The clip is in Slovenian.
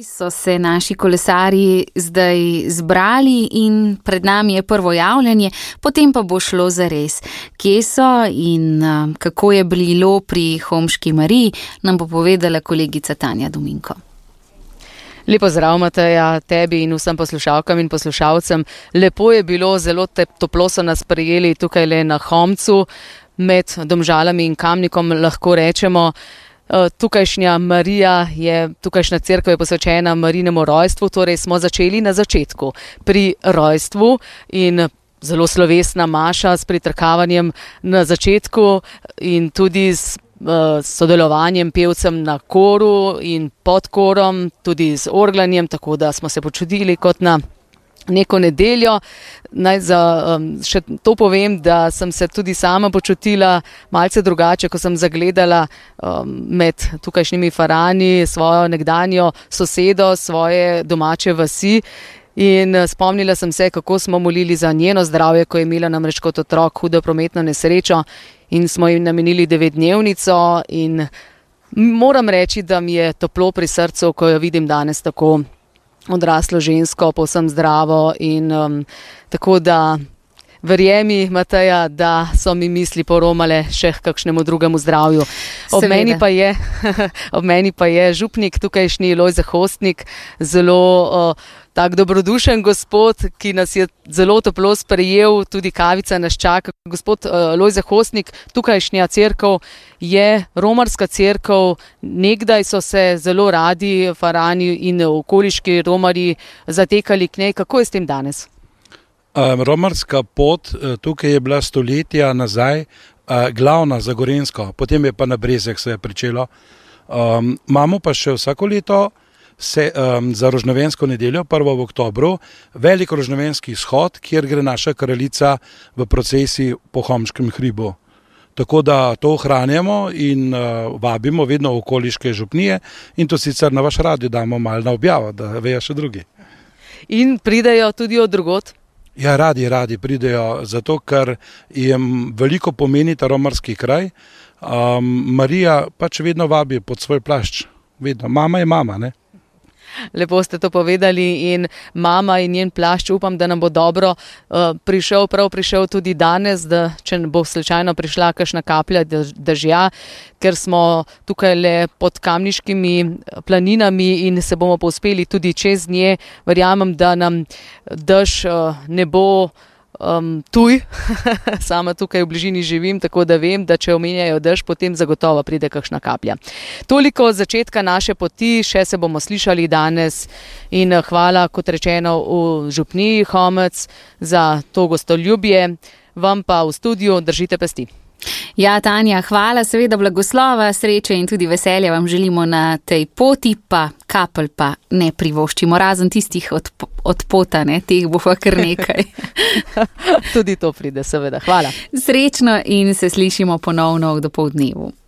So se naši kolesarji zdaj zbrali in pred nami je prvo javljanje, potem pa bo šlo zares. Kje so in kako je bilo pri Homški Mariji, nam bo povedala kolegica Tanja Dominko. Lepo zdrav, Mateja, tebi in vsem poslušalkam in poslušalcem. Lepo je bilo, zelo toplo so nas prijeli tukaj le na Homcu, med Domžalami in Kamnikom, lahko rečemo. Tukajšnja Marija tukajšnja cerkev je posvečena Marijinemu rojstvu, torej smo začeli na začetku pri rojstvu in zelo slovesna maša s pritrkavanjem na začetku in tudi s sodelovanjem pevcem na koru in pod korom, tudi z orglanjem, tako da smo se počutili kot na neko nedeljo. Naj še to povem, da sem se tudi sama počutila malce drugače, ko sem zagledala med tukajšnjimi farani svojo nekdanjo sosedo, svoje domače vasi in spomnila sem se, kako smo molili za njeno zdravje, ko je imela namreč kot otrok hudo prometno nesrečo in smo jim namenili 9-dnevnico in moram reči, da mi je toplo pri srcu, ko jo vidim danes tako odraslo žensko, povsem zdravo in tako da verjemi, Mateja, da so mi misli poromale še k kakšnemu drugemu zdravju. Ob meni pa je župnik tukajšnji Lojze Hostnik, zelo tak dobrodušen gospod, ki nas je zelo toplo sprejel, tudi kavica nas čaka. Gospod Lojze Hostnik, tukajšnja cerkev je romarska cerkev, nekdaj so se zelo radi farani in okoliški romarji zatekali k njej. Kako je s tem danes? Romarska pot tukaj je bila stoletja nazaj glavna za Gorenjsko, potem je pa na Brezjah se je pričelo. Imamo pa še vsako leto za rožnovensko nedeljo, 1. v oktobru, velik rožnovenski shod, kjer gre naša kraljica v procesiji po Homškem hribu. Tako da to ohranjamo in vabimo vedno okoliške župnije in to sicer na vaš radio damo malo na objavo, da vejo še drugi. In pridejo tudi od drugod? Ja, radi pridejo, zato ker jim veliko pomeni ta romarski kraj. Marija pač vedno vabi pod svoj plašč, vedno. Mama je mama, ne? Lepo ste to povedali in mama in njen plašč, upam, da nam bo dobro prišel tudi danes, da če bo slučajno prišla kakšna kaplja dežja, ker smo tukaj le pod kamniškimi planinami in se bomo povzpeli tudi čez nje. Verjamem, da nam dež ne bo tuj, sama tukaj v bližini živim, tako da vem, da če omenjajo dež, potem zagotovo pride kakšna kaplja. Toliko od začetka naše poti, še se bomo slišali danes in hvala, kot rečeno, v župniji Homec za to gostoljubje, vam pa v studiu držite pesti. Ja, Tanja, hvala, seveda blagoslova, sreče in tudi veselja vam želimo na tej poti, pa kapelj pa ne privoščimo, razen tistih od pota, ne, teh bo pa kar nekaj. Tudi to pride, seveda, hvala. Srečno in se slišimo ponovno v dopoldnevu.